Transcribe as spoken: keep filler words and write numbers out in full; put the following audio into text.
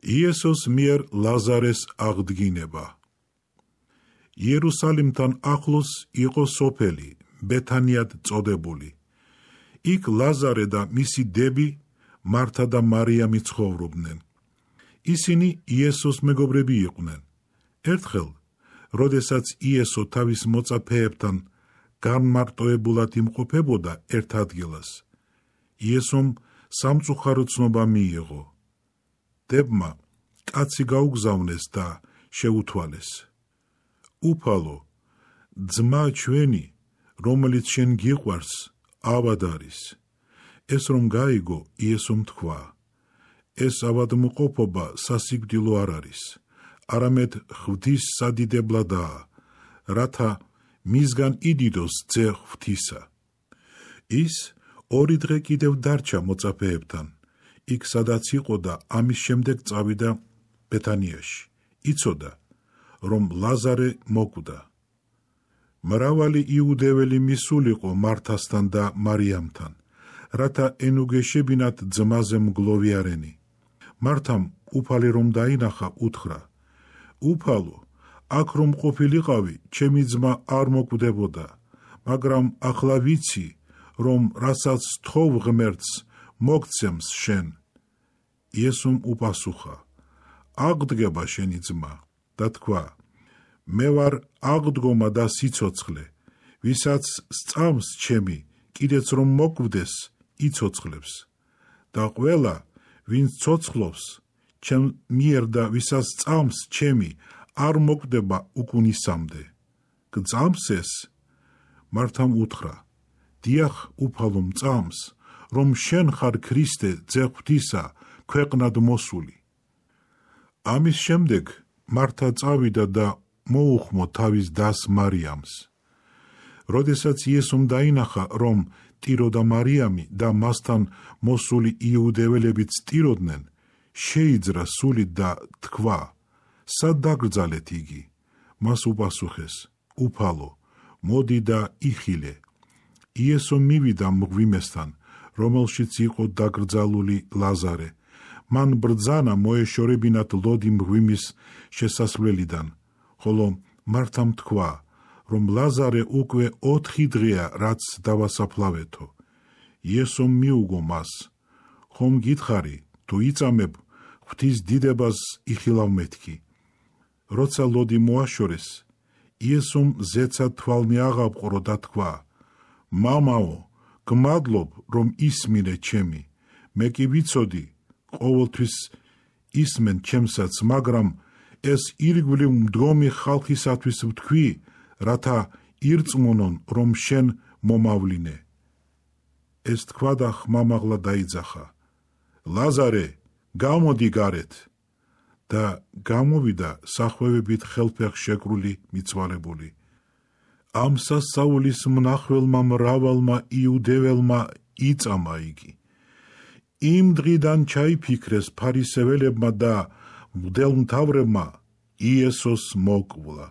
იესოს მიერ ლაზარეს აღდგინება. იერუსალიმთან ახლოს იყო სოფელი ბეთანიად წოდებული. იქ ლაზარე და მისი დები მართა და მარიამი ცხოვრობდნენ. ისინი იესოს მეგობრები იყვნენ. ერთხელ, როდესაც იესო თავის მოწაფეებთან განმარტოებულად იმყოფებოდა ერთ ადგილას, იესომ სამწუხარო ცნობა მიიღო. დებმა კაცი გაუგზავნეს და შეუთვალეს. უფალო, ძმა ჩვენი, რომელიც შენ გიყვარს, ავად არის. ეს რომ გაიგო, იესომ თქვა, ეს ავადმყოფობა სასიკვდილო არ არის, არამედ ღვთის სადიდებლადაა, რათა მისგან იდიდოს ძე ღვთისა. ის ორი დღე კიდევ დარჩა მოწაფეებთან, იქ სადაც იყო და ამის შემდეგ წავიდა ბეთანიაში. იცოდა, რომ ლაზარე მოკვდა. მრავალი იუდეველი მისულიყო მართასთან და მარიამთან, რათა ენუგეშებინათ ძმაზე მგლოვიარენი. მართამ უფალი რომ დაინახა, უთხრა, უფალო, აქ რომ ყოფილიყავი, ჩემი ძმა არ მოკვდებოდა, მაგრამ ახლა ვიცი, რომ რასაც თხოვ ღმერთს, მოგცემს შენ. იესომ უპასუხა, აღდგება შენი ძმა და თქვა, მე ვარ აღდგომა და სიცოცხლე, ვისაც სწამს ჩემი, კიდეც რომ მოკვდეს, იცოცხლებს. და ყველა, ვინც ცოცხლობს, ჩემ მიერ და ვისაც სწამს ჩემი, არ მოკვდება უკუნისამდე. გწამს ეს? მართამ უთხრა, დიახ, უფალო, მწამს, რომ შენ ხარ ქრისტე, ძე ღვთისა, ქვეყნად მოსული. ამის შემდეგ მართა წავიდა და მოუხმო თავის დას მარიამს. როდესაც იესომ დაინახა, რომ ტირო და მარიამი და მასთან მოსული იუდეველებიც სტიროდნენ, შეიძრა სულით და თქვა, სად დაგრძალეთ იგი? მას უპასუხეს, უფალო, მოდი და იხილე. იესო მივიდა მღვიმესთან, რომელშიც იყო დაკრძალული ლაზარე. მან ბრძანა მოეშორებინათ ლოდი მღვიმის შესასვლელიდან, ხოლო მართამ თქვა, რომ ლაზარე უკვე ოთხი დღეა, რაც დავასაფლავეთო. იესომ მიუგო მას, ხომ გითხარი, თუ იწამებ, ღვთის დიდებას იხილავ მეთქი. როცა ლოდი მოაშორეს, იესომ ზეცად თვალნი აღაპყრო და თქვა, მამაო, გმადლობ, რომ ისმინე ჩემი, მე კი ვიცოდი, ყოველთვის ისმენ ჩემსაც, მაგრამ ეს ირგვლივ მდგომი ხალხისათვის ვთქვი, რათა ირწმუნონ, რომ შენ მომავლინე. ეს თქვა და ხმამაღლა დაიძახა, ლაზარე, გამოდი გარეთ. და გამოვიდა სახვევებით ხელფეხ შეკრული მიცვალებული. ამ სასწაულის მნახველმა მრავალმა იუდეველმა იწამა იგი. იმ დღიდან ჩაიფიქრეს ფარისეველებმა და მღვდელმთავრებმა იესოს მოკვლა.